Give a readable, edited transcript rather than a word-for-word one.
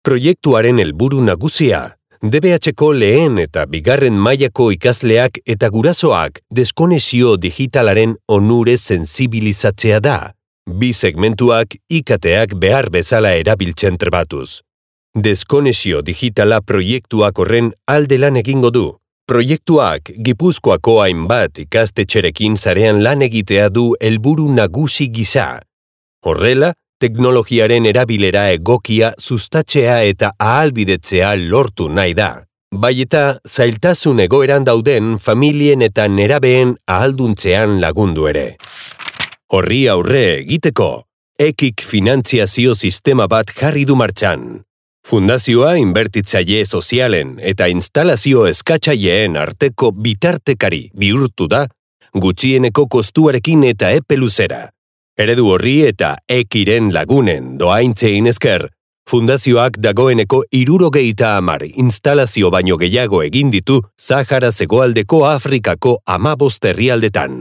Proiektuaren helburu nagusia, DBH-ko lehen eta bigarren mailako ikasleak eta gurasoak deskonexio digitalaren onure sensibilizatzea da. Bi segmentuak IKT-ak behar bezala erabiltzen trebatuz. Deskonexio digitala proiektuak horren alde lan egingo du. Proiektuak Gipuzkoako hainbat ikastetxerekin sarean lan egitea du helburu nagusi gisa. Horrela, teknologiaren erabilera egokia sustatzea eta ahalbidetzea lortu nahi da. Bai eta zailtasun egoeran dauden familien eta nerabeen ahalduntzean lagundu ere. Horri aurre egiteko, EKIK finantziazio sistema bat jarri du martxan. Fundazioa inbertitzaile sozialen eta instalazio eskatzaileen arteko bitartekari bihurtu da, gutxieneko kostuarekin eta epe luzera. Eredu horri eta EKIren lagunen doaintzein esker, fundazioak dagoeneko 70 instalazio baino gehiago egin ditu Sahara Hegoaldeko Afrikako 15 herrialdetan.